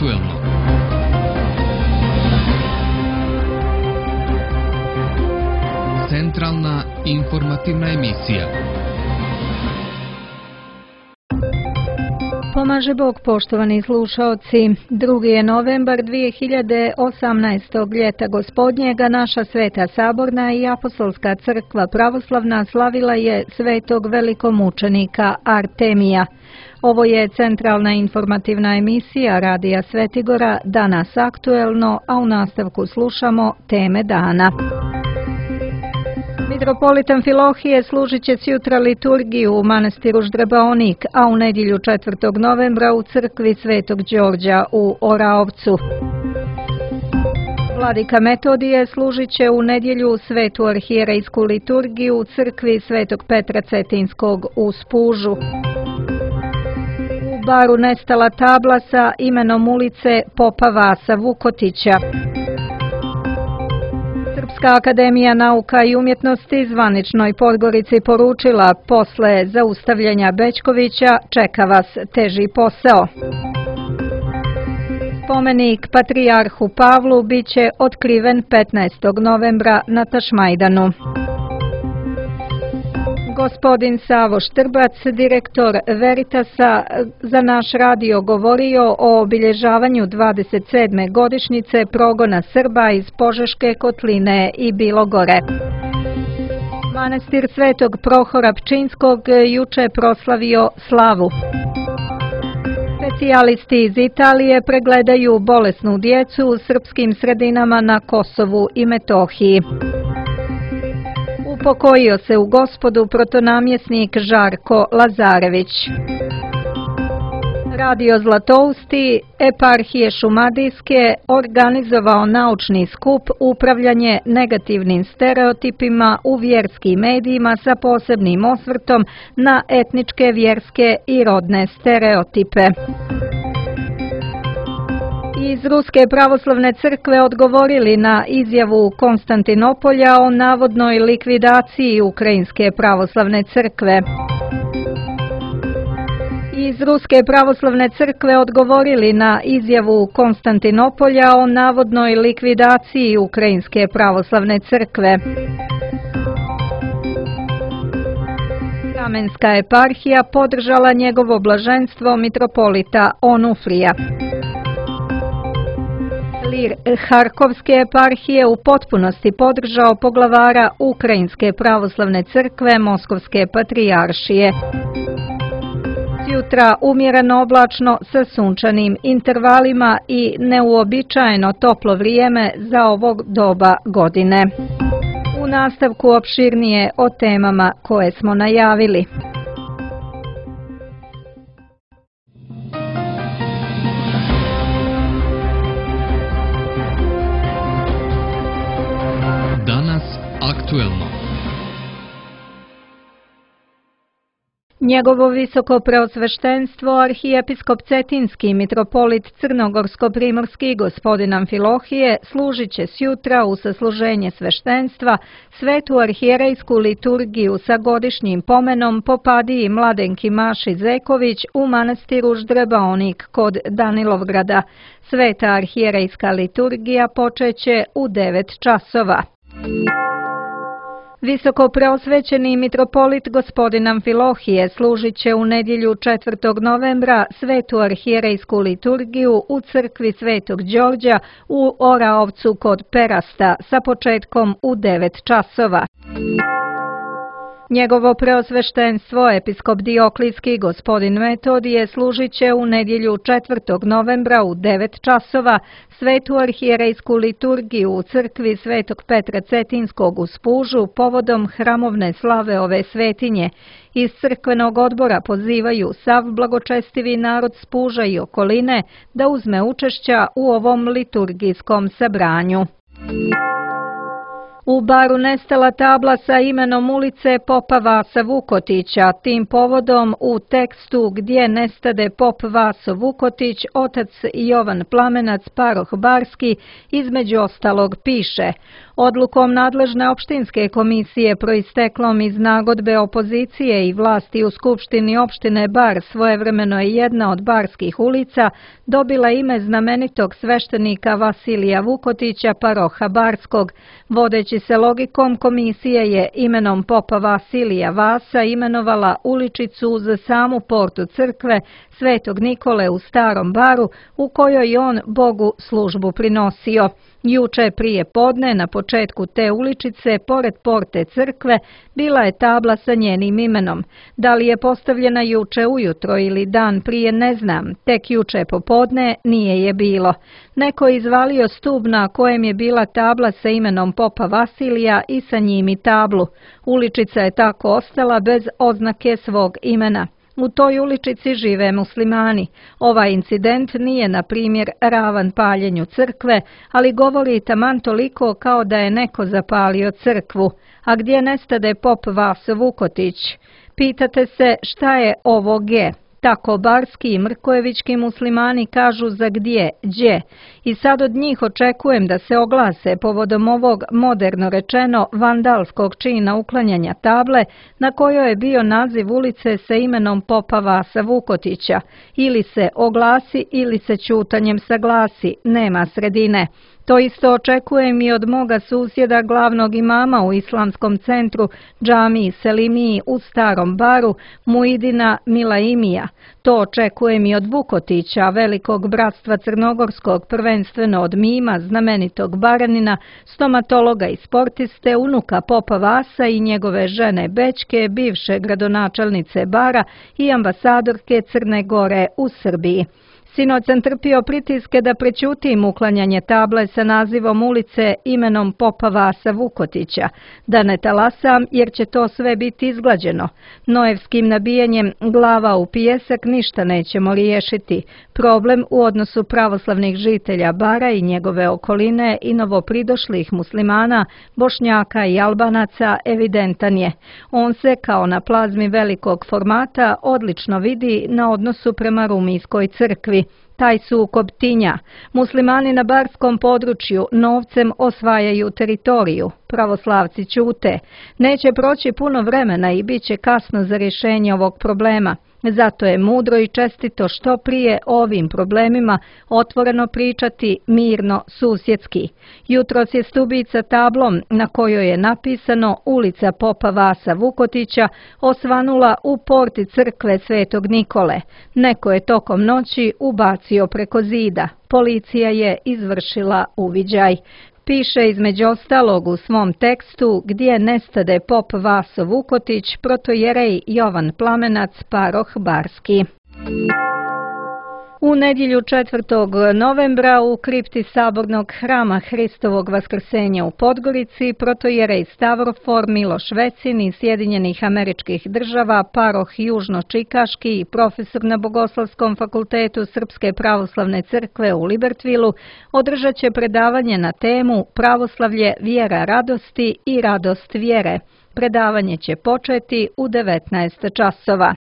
aktuelno. Centralna informativna emisija. Pomaže Bog, poštovani slušaoci. 2. je novembar 2018. ljeta gospodnjega, naša Sveta Saborna i Apostolska crkva pravoslavna slavila je svetog velikomučenika Artemija. Ovo je centralna informativna emisija Radija Svetigora, danas aktuelno, a u nastavku slušamo teme dana. Mitropolit Amfilohije služit će sjutra liturgiju u manastiru Ždrebaonik, a u nedjelju 4. novembra u crkvi Svetog Đorđa u Oraovcu. Vladika Metodije služit će u nedjelju svetu arhijerejsku liturgiju u crkvi Svetog Petra Cetinskog u Spužu. U Baru nestala tabla sa imenom ulice Popa Vasa Vukotića. Srpska akademija nauka i umjetnosti zvaničnoj Podgorici poručila: posle zaustavljanja Bećkovića čeka vas teži posao. Spomenik patrijarhu Pavlu biće otkriven 15. novembra na Tašmajdanu. Gospodin Savo Štrbac, direktor Veritasa, za naš radio govorio o obilježavanju 27. godišnjice progona Srba iz Požeške kotline i Bilogore. Manastir Svetog Prohora Pčinskog juče proslavio slavu. Specijalisti iz Italije pregledaju bolesnu djecu u srpskim sredinama na Kosovu i Metohiji. Upokojio se u Gospodu protonamjesnik Žarko Lazarević. Radio Zlatousti eparhije Šumadijske organizovao naučni skup Upravljanje negativnim stereotipima u vjerskim medijima sa posebnim osvrtom na etničke, vjerske i rodne stereotipe. Iz Ruske pravoslavne crkve odgovorili na izjavu Konstantinopolja o navodnoj likvidaciji Ukrajinske pravoslavne crkve. Iz Ruske pravoslavne crkve odgovorili na izjavu Konstantinopolja o navodnoj likvidaciji Ukrajinske pravoslavne crkve. Kamenska eparhija podržala njegovo blaženstvo mitropolita Onufrija. Lir Harkovske eparhije u potpunosti podržao poglavara Ukrajinske pravoslavne crkve Moskovske patrijaršije. Jutra umjereno oblačno sa sunčanim intervalima i neuobičajeno toplo vrijeme za ovog doba godine. U nastavku opširnije o temama koje smo najavili. Danas aktuelno. Njegovo visoko preosveštenstvo arhijepiskop Cetinski mitropolit Crnogorsko-primorski gospodin Amfilohije služit će sjutra u sasluženje sveštenstva svetu arhijerejsku liturgiju sa godišnjim pomenom Popadiji Mladenki Maši Zeković u manastiru Ždrebaonik kod Danilovgrada. Sveta arhijerejska liturgija počeće u 9 časova. Visoko preosvećeni mitropolit gospodin Amfilohije služit će u nedjelju 4. novembra svetu arhijerejsku liturgiju u crkvi Svetog Đorđa u Oraovcu kod Perasta sa početkom u 9 časova. Njegovo preosveštenstvo episkop Dioklijski gospodin Metodije služit će u nedjelju 4. novembra u 9 časova svetu arhijerejsku liturgiju u crkvi Svetog Petra Cetinskog u Spužu povodom hramovne slave ove svetinje. Iz crkvenog odbora pozivaju sav blagočestivi narod Spuža i okoline da uzme učešća u ovom liturgijskom sabranju. U Baru nestala tabla sa imenom ulice Popa Vasa Vukotića. Tim povodom u tekstu Gdje nestade Pop Vaso Vukotić, otac Jovan Plamenac, paroh Barski, između ostalog piše: Odlukom nadležne opštinske komisije proisteklom iz nagodbe opozicije i vlasti u Skupštini opštine Bar svojevremeno je jedna od barskih ulica dobila ime znamenitog sveštenika Vasilija Vukotića, paroha Barskog. Vodeći se logikom, komisija je imenom popa Vasilija Vasa imenovala uličicu uz samu portu crkve Svetog Nikole u Starom Baru, u kojoj on Bogu službu prinosio. Juče prije podne na početku te uličice, pored porte crkve, bila je tabla sa njenim imenom. Da li je postavljena juče ujutro ili dan prije, ne znam. Tek juče popodne nije je bilo. Neko je izvalio stub na kojem je bila tabla sa imenom popa Vasilija i sa njim i tablu. Uličica je tako ostala bez oznake svog imena. U toj uličici žive muslimani. Ovaj incident nije, na primjer, ravan paljenju crkve, ali govori taman toliko kao da je neko zapalio crkvu. A gdje nestade pop Vaso Vukotić? Pitate se šta je ovo G? Tako barski i mrkojevički muslimani kažu za gdje. I sad od njih očekujem da se oglase povodom ovog, moderno rečeno, vandalskog čina uklanjanja table na kojoj je bio naziv ulice sa imenom popa Vasa Vukotića. Ili se oglasi ili se ćutanjem saglasi, nema sredine. To isto očekujem i od moga susjeda, glavnog imama u islamskom centru džamiji Selimiji u Starom Baru, Muidina Milaimija. To očekujem i od Vukotića, velikog bratstva crnogorskog, prvenstveno od mima, znamenitog Baranina, stomatologa i sportiste, unuka popa Vasa i njegove žene Bećke, bivše gradonačelnice Bara i ambasadorke Crne Gore u Srbiji. Sinoć sam trpio pritiske da prećutim uklanjanje table sa nazivom ulice imenom popa Vasa Vukotića, da ne talasam jer će to sve biti izglađeno. Noevskim nabijanjem glava u pijesak ništa nećemo riješiti. Problem u odnosu pravoslavnih žitelja Bara i njegove okoline i novopridošlih muslimana, Bošnjaka i Albanaca evidentan je. On se, kao na plazmi velikog formata, odlično vidi na odnosu prema Rumijskoj crkvi. Taj sukob tinja. Muslimani na barskom području novcem osvajaju teritoriju. Pravoslavci ćute. Neće proći puno vremena i bit će kasno za rješenje ovog problema. Zato je mudro i čestito što prije o ovim problemima otvoreno pričati mirno, susjedski. Jutros je stubica tablom na kojoj je napisano ulica popa Vasa Vukotića osvanula u porti crkve Svetog Nikole. Neko je tokom noći ubacio preko zida. Policija je izvršila uviđaj. Piše između ostalog u svom tekstu gdje nestade pop Vaso Vukotić, protojerej Jovan Plamenac, paroh Barski. U nedjelju 4. novembra u kripti Sabornog hrama Hristovog Vaskrsenja u Podgorici protojerej Stavrofor Miloš Vecin iz Sjedinjenih Američkih Država, paroh Južno-Čikaški i profesor na Bogoslovskom fakultetu Srpske pravoslavne crkve u Libertvilu održat će predavanje na temu Pravoslavlje, vjera radosti i radost vjere. Predavanje će početi u 19 časova.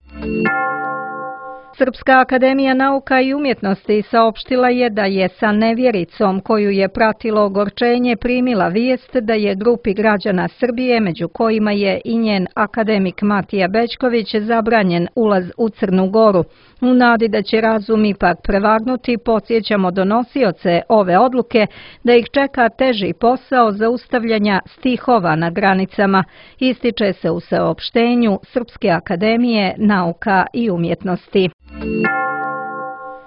Srpska akademija nauka i umjetnosti saopštila je da je sa nevjericom koju je pratilo ogorčenje primila vijest da je grupi građana Srbije, među kojima je i njen akademik Matija Bećković, zabranjen ulaz u Crnu Goru. U nadi da će razum ipak prevagnuti, podsjećamo donosioce ove odluke da ih čeka teži posao zaustavljanja stihova na granicama, ističe se u saopštenju Srpske akademije nauka i umjetnosti.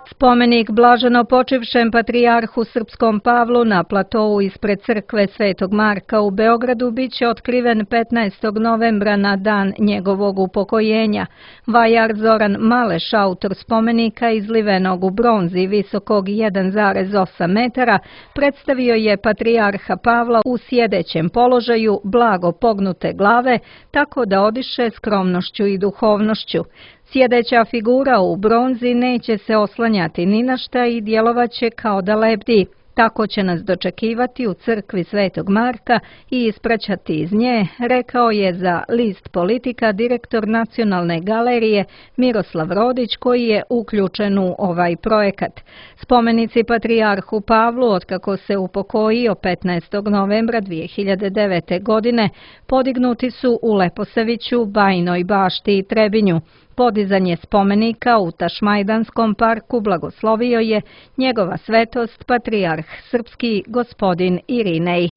Spomenik blaženopočivšem patrijarhu Srpskom Pavlu na platou ispred crkve Svetog Marka u Beogradu biće otkriven 15. novembra na dan njegovog upokojenja. Vajar Zoran Maleš, autor spomenika izlivenog u bronzi visokog 1,8 metara, predstavio je patrijarha Pavla u sjedećem položaju, blago pognute glave, tako da odiše skromnošću i duhovnošću. Sjedeća figura u bronzi neće se oslanjati ni na šta i djelovaće kao da lebdi. Tako će nas dočekivati u crkvi Svetog Marka i ispraćati iz nje, rekao je za List Politika direktor Nacionalne galerije Miroslav Rodić, koji je uključen u ovaj projekat. Spomenici patrijarhu Pavlu, otkako se upokojio 15. novembra 2009. godine, podignuti su u Leposaviću, Bajinoj Bašti i Trebinju. Podizanje spomenika u Tašmajdanskom parku blagoslovio je njegova svetost patrijarh srpski gospodin Irinej.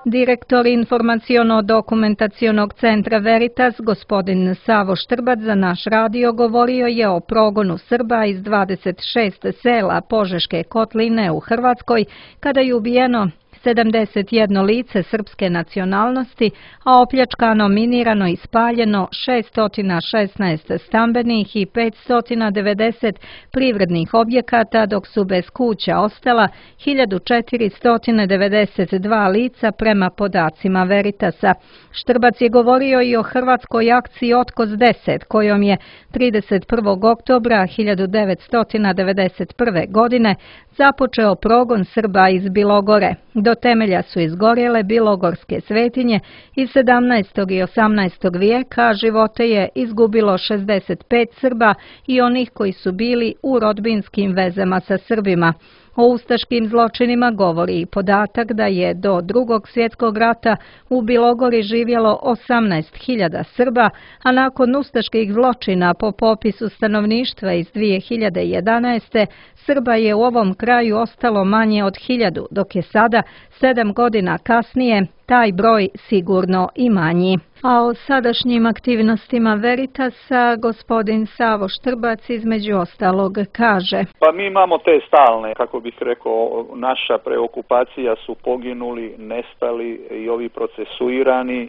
Direktor informaciono-dokumentacionog centra Veritas, gospodin Savo Štrbac, za naš radio govorio je o progonu Srba iz 26 sela Požeške kotline u Hrvatskoj, kada je ubijeno 71 lice srpske nacionalnosti, a opljačkano, minirano i spaljeno 616 stambenih i 590 privrednih objekata, dok su bez kuća ostala 1492 lica prema podacima Veritasa. Štrbac je govorio i o hrvatskoj akciji Otkos 10, kojom je 31. oktobra 1991. godine započeo progon Srba iz Bilogore. Do temelja su izgorjele bilogorske svetinje iz 17. i 18. vijeka, a živote je izgubilo 65 Srba i onih koji su bili u rodbinskim vezama sa Srbima. O ustaškim zločinima govori i podatak da je do Drugog svjetskog rata u Bilogori živjelo 18.000 Srba, a nakon ustaških zločina po popisu stanovništva iz 2011. Srba je u ovom kraju ostalo manje od 1000, dok je sada, 7 godina kasnije, taj broj sigurno i manji. A o sadašnjim aktivnostima Veritasa gospodin Savo Štrbac između ostalog kaže: Pa mi imamo te stalne, kako bih rekao, naša preokupacija su poginuli, nestali i ovi procesuirani.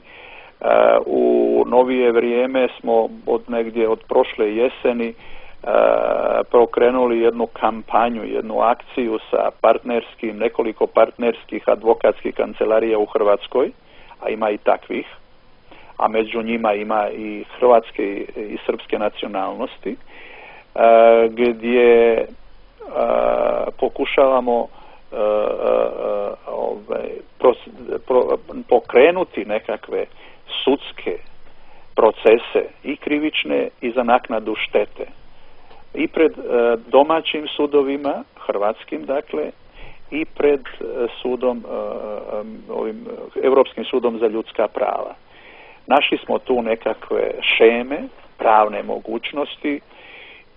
U novije vrijeme smo od prošle jeseni prokrenuli jednu kampanju, jednu akciju sa nekoliko partnerskih advokatskih kancelarija u Hrvatskoj, a ima i takvih, a među njima ima i hrvatske i srpske nacionalnosti, gdje pokušavamo pokrenuti nekakve sudske procese i krivične i za naknadu štete i pred domaćim sudovima, hrvatskim dakle, i pred sudom, Europskim sudom za ljudska prava. Našli smo tu nekakve šeme, pravne mogućnosti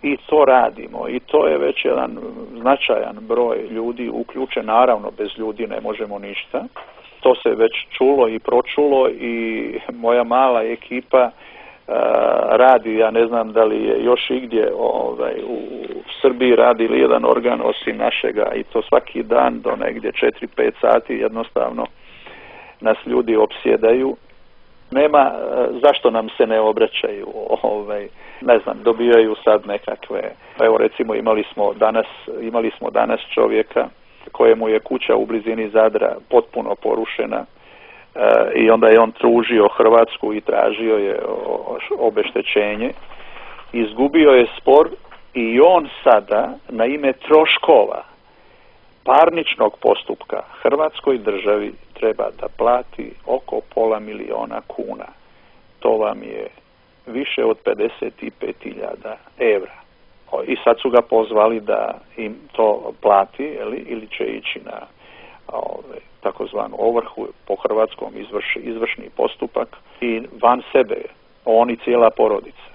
i to radimo. I to je već jedan značajan broj ljudi uključen. Naravno, bez ljudi ne možemo ništa. To se već čulo i pročulo i moja mala ekipa radi, ja ne znam da li je još igdje u Srbiji radi li jedan organ osim našega, i to svaki dan do negdje 4-5 sati jednostavno nas ljudi opsjedaju. Nema zašto nam se ne obraćaju, ne znam, dobijaju sad nekakve, evo recimo imali smo danas čovjeka kojemu je kuća u blizini Zadra potpuno porušena i onda je on tužio Hrvatsku i tražio je obeštećenje. Izgubio je spor i on sada na ime troškova parničnog postupka Hrvatskoj državi treba da plati oko $500.000 kuna. To vam je više od 55.000 evra. I sad su ga pozvali da im to plati, ili će ići na takozvanu ovrhu, po hrvatskom izvršni postupak, i van sebe oni cijela porodica.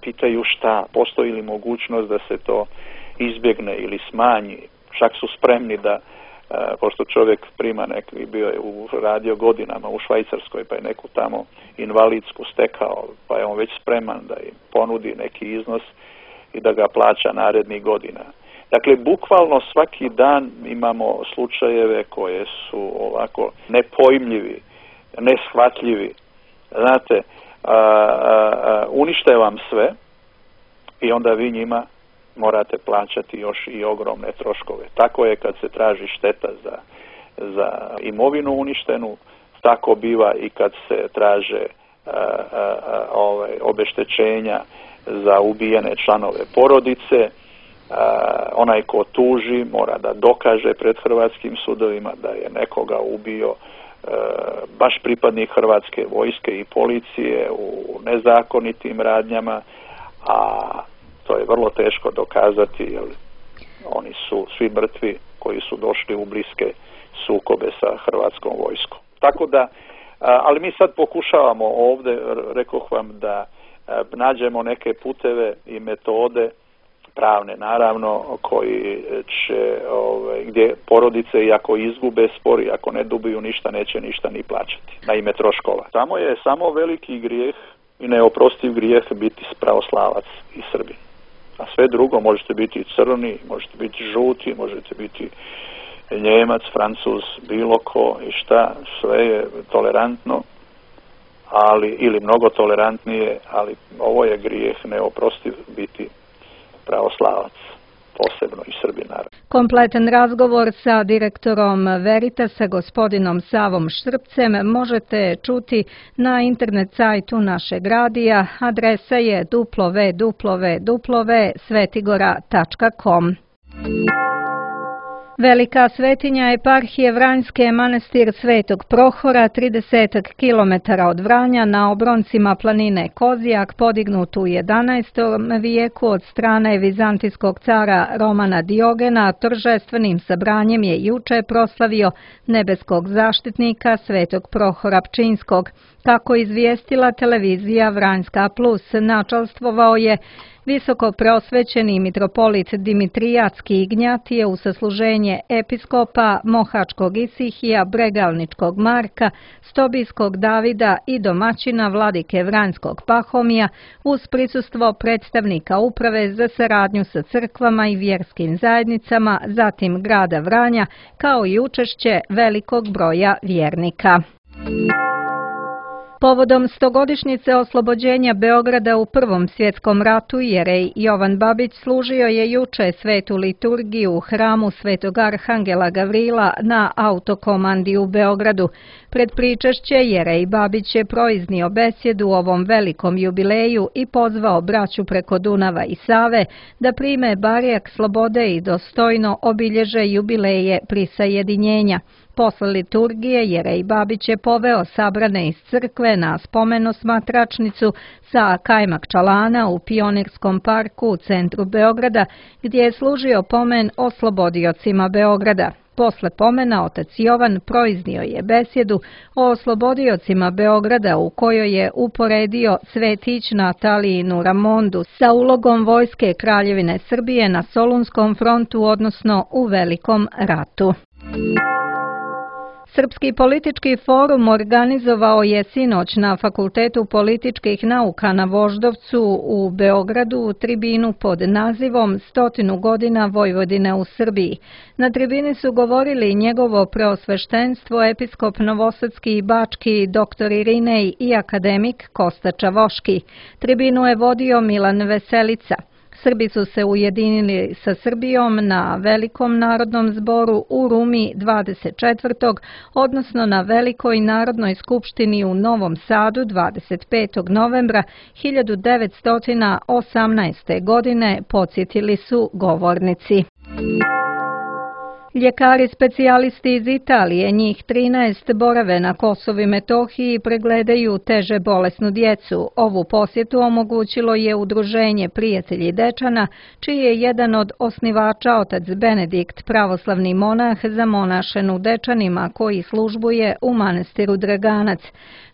Pitaju šta, postoji li mogućnost da se to izbjegne ili smanji. Čak su spremni da, pošto čovjek prima bio je radio godinama u Švajcarskoj, pa je neku tamo invalidsku stekao, pa je on već spreman da im ponudi neki iznos i da ga plaća narednih godina. Dakle, bukvalno svaki dan imamo slučajeve koje su ovako nepojmljivi, neshvatljivi. Znate, unište vam sve i onda vi njima morate plaćati još i ogromne troškove. Tako je kad se traži šteta za imovinu uništenu, tako biva i kad se traže obeštećenja za ubijene članove porodice. onaj ko tuži mora da dokaže pred hrvatskim sudovima da je nekoga ubio baš pripadnik Hrvatske vojske i policije u nezakonitim radnjama, a to je vrlo teško dokazati jer oni su svi mrtvi koji su došli u bliske sukobe sa hrvatskom vojskom. Tako da, ali mi sad pokušavamo ovdje, rekoh vam, da nađemo neke puteve i metode pravne naravno koji će, gdje porodice i ako izgube spor i ako ne dobiju ništa neće ništa ni plaćati na ime troškova. Samo je veliki grijeh i neoprostiv grijeh biti pravoslavac i Srbin. A sve drugo možete biti crni, možete biti žuti, možete biti Njemac, Francuz, bilo ko i šta, sve je tolerantno, ili mnogo tolerantnije, ali ovo je grijeh neoprostiv biti pravoslavac, posebno i Srbin naravno. Kompletan razgovor sa direktorom Veritasa, gospodinom Savom Štrpcem, možete čuti na internet sajtu našeg radija. Adresa je www.svetigora.com. Velika svetinja eparhije Vranjske, manastir Svetog Prohora, 30 km od Vranja na obroncima planine Kozijak, podignut u 11. vijeku od strane vizantijskog cara Romana Diogena, торжественim sabranjem je juče proslavio nebeskog zaštitnika Svetog Prohora Pčinskog. Kako izvijestila televizija Vranjska Plus, načalstvovao je visoko preosvećeni mitropolit Dimitriatski Ignjatije u sasluženje episkopa Mohačkog Isihija, Bregalničkog Marka, Stobijskog Davida i domaćina vladike Vranjskog Pahomija uz prisustvo predstavnika uprave za saradnju sa crkvama i vjerskim zajednicama, zatim grada Vranja, kao i učešće velikog broja vjernika. Povodom 100-godišnjice oslobođenja Beograda u Prvom svjetskom ratu, jerej Jovan Babić služio je juče svetu liturgiju u hramu Svetog Arhangela Gavrila na Autokomandi u Beogradu. Pred pričešće jerej Babić je proiznio besjedu u ovom velikom jubileju i pozvao braću preko Dunava i Save da prime barjak slobode i dostojno obilježe jubileje prisajedinjenja. Posle liturgije jerej Babić je poveo sabrane iz crkve na spomenosmatračnicu sa kajmak čalana u Pionirskom parku u centru Beograda, gdje je služio pomen oslobodiocima Beograda. Posle pomena otac Jovan proiznio je besjedu o oslobodiocima Beograda u kojoj je uporedio svetić Natalijinu Ramondu sa ulogom vojske Kraljevine Srbije na Solunskom frontu, odnosno u Velikom ratu. Srpski politički forum organizovao je sinoć na Fakultetu političkih nauka na Voždovcu u Beogradu tribinu pod nazivom 100 godina Vojvodine u Srbiji. Na tribini su govorili njegovo preosveštenstvo episkop Novosadski i Bački dr. Irinej i akademik Kosta Čavoški. Tribinu je vodio Milan Veselica. Srbi su se ujedinili sa Srbijom na Velikom narodnom zboru u Rumi 24. odnosno na Velikoj narodnoj skupštini u Novom Sadu 25. novembra 1918. godine, podsjetili su govornici. Ljekari specijalisti iz Italije, njih 13, borave na Kosovu i Metohiji i pregledaju teže bolesnu djecu. Ovu posjetu omogućilo je Udruženje Prijatelji Dečana, čiji je jedan od osnivača otac Benedikt, pravoslavni monah zamonašen u Dečanima koji službuje u manastiru Draganac.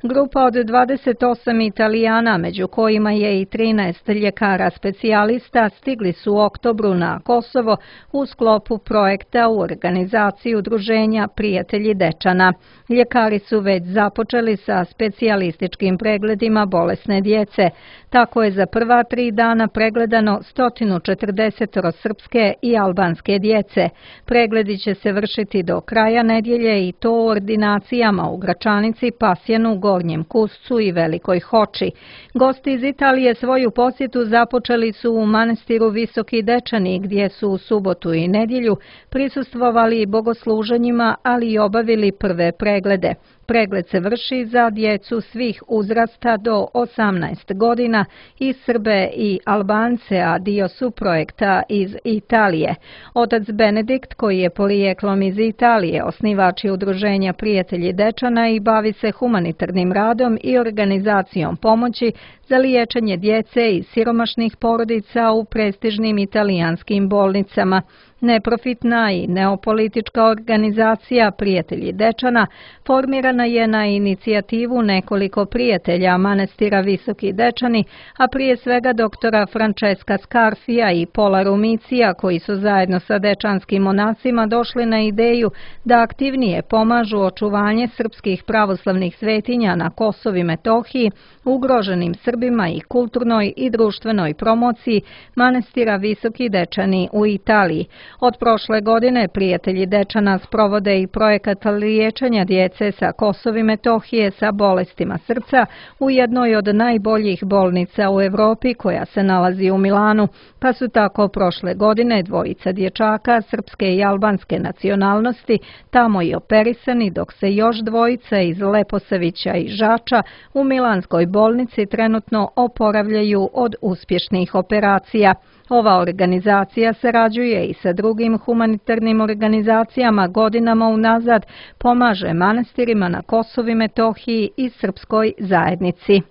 Grupa od 28 Italijana, među kojima je i 13 ljekara specijalista, stigli su u oktobru na Kosovo u sklopu projekta u organizaciji Udruženja Prijatelji Dečana. Ljekari su već započeli sa specijalističkim pregledima bolesne djece. Tako je za prva 3 dana pregledano 140 srpske i albanske djece. Pregledi će se vršiti do kraja nedjelje i to u ordinacijama u Gračanici, Pasjanu, Gornjem Kuscu i Velikoj Hoči. Gosti iz Italije svoju posjetu započeli su u manastiru Visoki Dečani, gdje su u subotu i nedjelju prisustvovali bogosluženjima, ali i obavili prve preglede. Pregled se vrši za djecu svih uzrasta do 18 godina i Srbe i Albance, a dio su projekta iz Italije. Otac Benedikt, koji je porijeklom iz Italije, osnivač je udruženja Prijatelji Dečana i bavi se humanitarnim radom i organizacijom pomoći za liječenje djece iz siromašnih porodica u prestižnim italijanskim bolnicama. Neprofitna i neopolitička organizacija Prijatelji Dečana formirana je na inicijativu nekoliko prijatelja manastira Visoki Dečani, a prije svega doktora Francesca Scarfija i Pola Rumicija, koji su zajedno sa dečanskim monasima došli na ideju da aktivnije pomažu očuvanje srpskih pravoslavnih svetinja na Kosovu i Metohiji, ugroženim Srbima i kulturnoj i društvenoj promociji manastira Visoki Dečani u Italiji. Od prošle godine Prijatelji Dečana sprovode i projekat liječenja djece sa Kosova i Metohije sa bolestima srca u jednoj od najboljih bolnica u Evropi koja se nalazi u Milanu, pa su tako prošle godine dvojica dječaka srpske i albanske nacionalnosti tamo i operisani, dok se još dvojica iz Leposavića i Žača u milanskoj bolnici trenutno oporavljaju od uspješnih operacija. Ova organizacija sarađuje i sa drugim humanitarnim organizacijama godinama unazad, pomaže manastirima na Kosovu i Metohiji i srpskoj zajednici.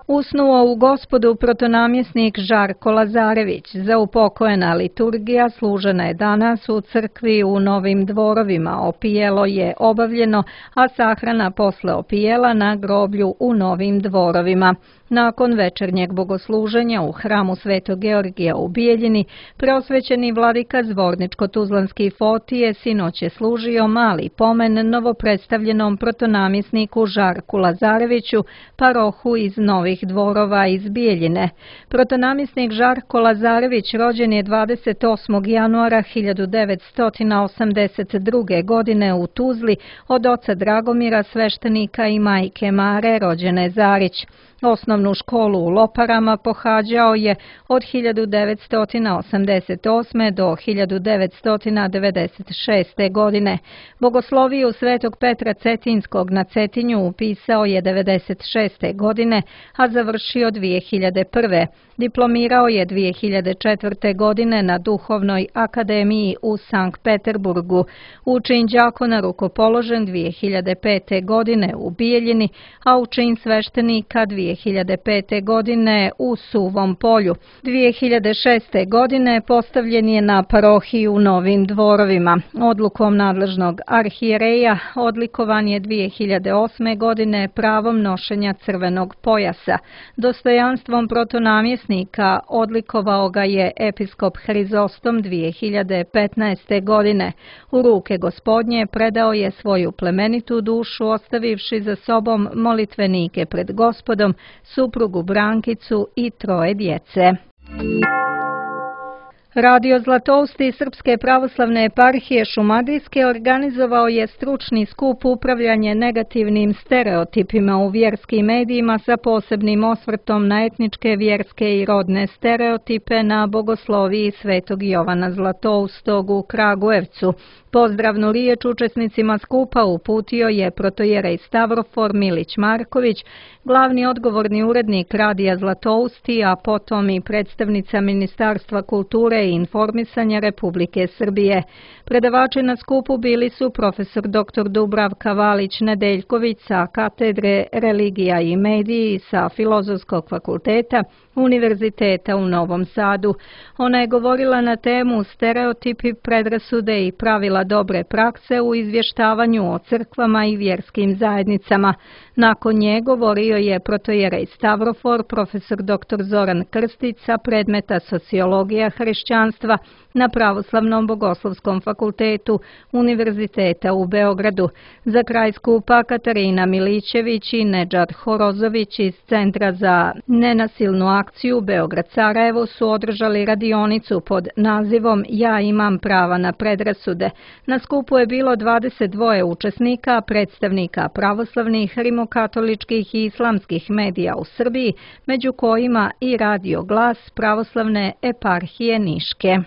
Usnuo u Gospodu protonamjesnik Žarko Lazarević. Zaupokojena liturgija služena je danas u crkvi u Novim Dvorovima. Opijelo je obavljeno, a sahrana posle opijela na groblju u Novim Dvorovima. Nakon večernjeg bogosluženja u hramu Svetog Georgija u Bijeljini, preosvećeni vladika Zvorničko-Tuzlanski Fotije sinoć je služio mali pomen novopredstavljenom protonamjesniku Žarku Lazareviću, parohu iz Novih Dvorova iz Bijeljine. Protonamjesnik Žarko Lazarević rođen je 28. januara 1982. godine u Tuzli od oca Dragomira, sveštenika, i majke Mare, rođene Zarić. Osnovnu školu u Loparama pohađao je od 1988. do 1996. godine. Bogosloviju Svetog Petra Cetinskog na Cetinju upisao je 1996. godine, a završio 2001. Diplomirao je 2004. godine na Duhovnoj akademiji u Sankt Peterburgu. U čin đakona rukopoložen 2005. godine u Bijeljini, a u čin sveštenika 2005. godine u Suvom Polju. 2006. godine postavljen je na parohiji u Novim Dvorovima. Odlukom nadležnog arhijereja odlikovan je 2008. godine pravom nošenja crvenog pojasa. Dostojanstvom protonamjesnika odlikovao ga je episkop Hrizostom 2015. godine. U ruke Gospodnje predao je svoju plemenitu dušu, ostavivši za sobom molitvenike pred Gospodom, suprugu Brankicu i 3 djece. Radio Zlatousti Srpske pravoslavne eparhije Šumadijske organizovao je stručni skup upravljanje negativnim stereotipima u vjerskim medijima sa posebnim osvrtom na etničke, vjerske i rodne stereotipe na bogosloviji Svetog Jovana Zlatoustog u Kragujevcu. Pozdravnu riječ učesnicima skupa uputio je protojerej Stavrofor Milić Marković, glavni odgovorni urednik Radija Zlatousti, a potom i predstavnica Ministarstva kulture i informisanja Republike Srbije. Predavači na skupu bili su profesor dr. Dubravka Valić-Nedeljković sa katedre Religija i mediji sa Filozofskog fakulteta Univerziteta u Novom Sadu. Ona je govorila na temu stereotipi, predrasude i pravila dobre prakse u izvještavanju o crkvama i vjerskim zajednicama. Nakon nje govorio je protojerej Stavrofor, profesor dr. Zoran Krstić sa predmeta Sociologija hrišćanstva na Pravoslavnom bogoslovskom fakultetu Univerziteta u Beogradu. Za kraj skupa Katarina Milićević i Nedžad Horozović iz Centra za nenasilnu akciju Beograd-Sarajevo su održali radionicu pod nazivom Ja imam prava na predrasude. Na skupu je bilo 22 učesnika, predstavnika pravoslavnih, rimokatoličkih i islamskih medija u Srbiji, među kojima i Radio Glas Pravoslavne eparhije Niške.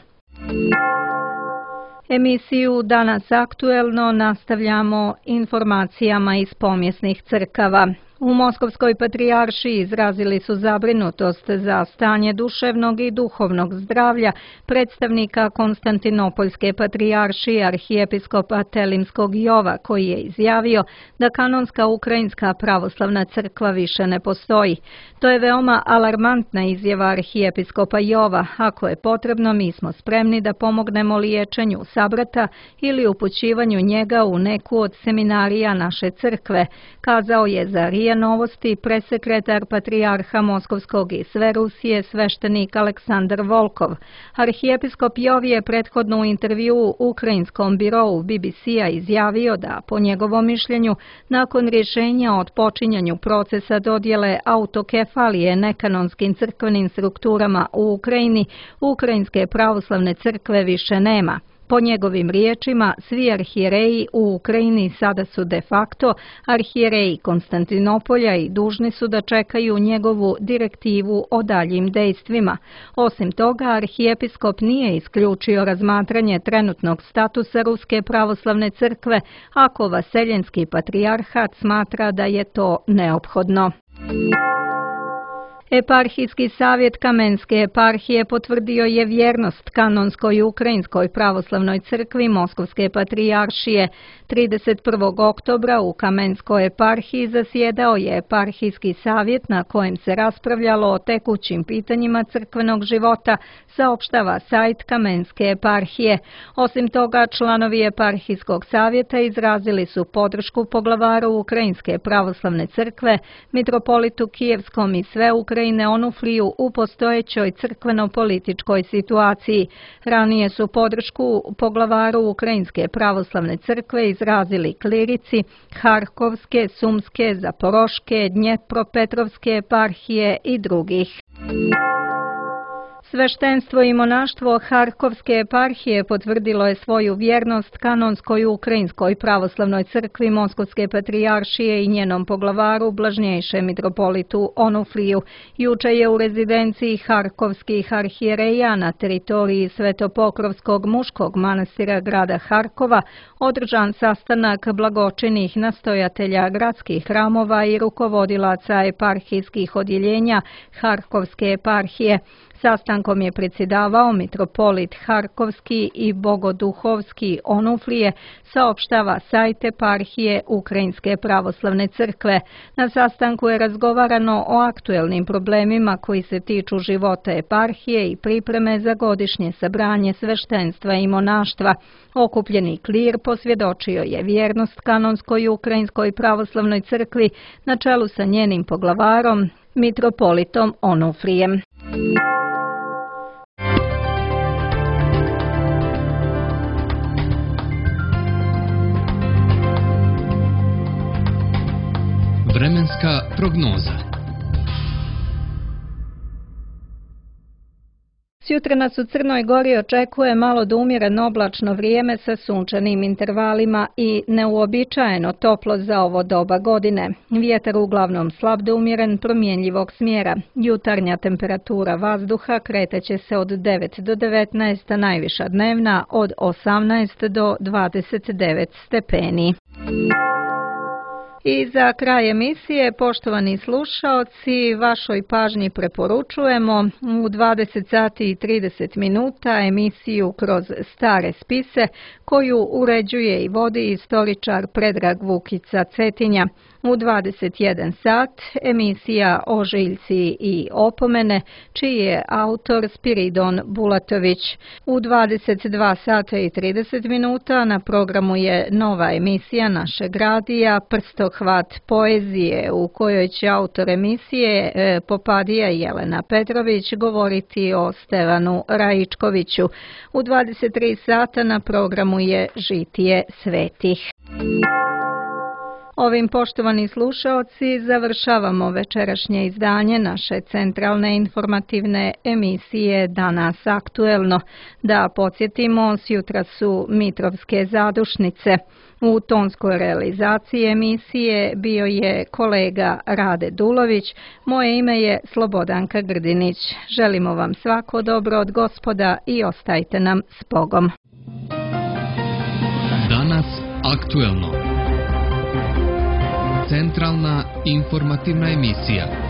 Emisiju Danas aktuelno nastavljamo informacijama iz pomjesnih crkava. U Moskovskoj patrijaršiji izrazili su zabrinutost za stanje duševnog i duhovnog zdravlja predstavnika Konstantinopoljske patrijaršije arhijepiskopa Telimskog Jova, koji je izjavio da kanonska ukrajinska pravoslavna crkva više ne postoji. To je veoma alarmantna izjava arhijepiskopa Jova. Ako je potrebno, mi smo spremni da pomognemo liječenju sabrata ili upućivanju njega u neku od seminarija naše crkve, kazao je za RIA Novosti presekretar patrijarha Moskovskog i sve Rusije sveštenik Aleksandar Volkov. Arhijepiskop Jov je prethodno u intervjuu ukrajinskom birovu BBC-a izjavio da, po njegovom mišljenju, nakon rješenja o otpočinjanju procesa dodjele autokefalije nekanonskim crkvenim strukturama u Ukrajini, ukrajinske pravoslavne crkve više nema. Po njegovim riječima, svi arhijereji u Ukrajini sada su de facto arhijereji Konstantinopolja i dužni su da čekaju njegovu direktivu o daljim dejstvima. Osim toga, arhijepiskop nije isključio razmatranje trenutnog statusa Ruske pravoslavne crkve ako Vaseljenski patrijarhat smatra da je to neophodno. Eparhijski savjet Kamenske eparhije potvrdio je vjernost kanonskoj ukrajinskoj pravoslavnoj crkvi Moskovske patrijaršije. 31. oktobra u Kamenskoj eparhiji zasjedao je eparhijski savjet na kojem se raspravljalo o tekućim pitanjima crkvenog života, saopštava sajt Kamenske eparhije. Osim toga, članovi eparhijskog savjeta izrazili su podršku poglavaru Ukrajinske pravoslavne crkve, mitropolitu Kijevskom i sve Ukrajine Onufriju u postojećoj crkveno-političkoj situaciji. Ranije su podršku poglavaru Ukrajinske pravoslavne crkve izrazili klirici Harkovske, Sumske, Zaporoške, Dnjepropetrovske eparhije i drugih. Sveštenstvo i monaštvo Harkovske eparhije potvrdilo je svoju vjernost kanonskoj ukrajinskoj pravoslavnoj crkvi Moskovske patrijaršije i njenom poglavaru blažnjejšem mitropolitu Onufriju. Juče je u rezidenciji Harkovskih arhijereja na teritoriji Svetopokrovskog muškog manastira grada Harkova održan sastanak blagočinih nastojatelja gradskih hramova i rukovodilaca eparhijskih odjeljenja Harkovske eparhije. Sastankom je predsjedavao mitropolit Harkovski i Bogoduhovski Onufrije, saopštava sajt eparhije Ukrajinske pravoslavne crkve. Na sastanku je razgovarano o aktuelnim problemima koji se tiču života eparhije i pripreme za godišnje sabranje sveštenstva i monaštva. Okupljeni klir posvjedočio je vjernost kanonskoj Ukrajinskoj pravoslavnoj crkvi na čelu sa njenim poglavarom, mitropolitom Onufrijem. Vremenska prognoza. Sjutra nas u Crnoj Gori očekuje malo do umjereno oblačno vrijeme sa sunčanim intervalima i neuobičajeno toplo za ovo doba godine. Vjetar uglavnom slab do umjeren promjenjivog smjera. Jutarnja temperatura vazduha kreteće se od 9 do 19, a najviša dnevna od 18 do 29 stepeni. I za kraj emisije, poštovani slušaoci, vašoj pažnji preporučujemo u 20 sati i 30 minuta emisiju Kroz stare spise koju uređuje i vodi istoričar Predrag Vukica Cetinja. U 21 sat emisija Ožiljci i opomene, čiji je autor Spiridon Bulatović. U 22 sata i 30 minuta na programu je nova emisija našeg radija Prstohvat poezije, u kojoj će autor emisije Popadija Jelena Petrović govoriti o Stevanu Raičkoviću. U 23 sata na programu je Žitije svetih. Ovim, poštovani slušaoci, završavamo večerašnje izdanje naše centralne informativne emisije Danas aktuelno. Da podsjetimo, sjutra su Mitrovske zadušnice. U tonskoj realizaciji emisije bio je kolega Rade Dulović, moje ime je Slobodanka Grdinić. Želimo vam svako dobro od Gospoda i ostajte nam s Bogom. Aktuelno. Centralna informativna emisija.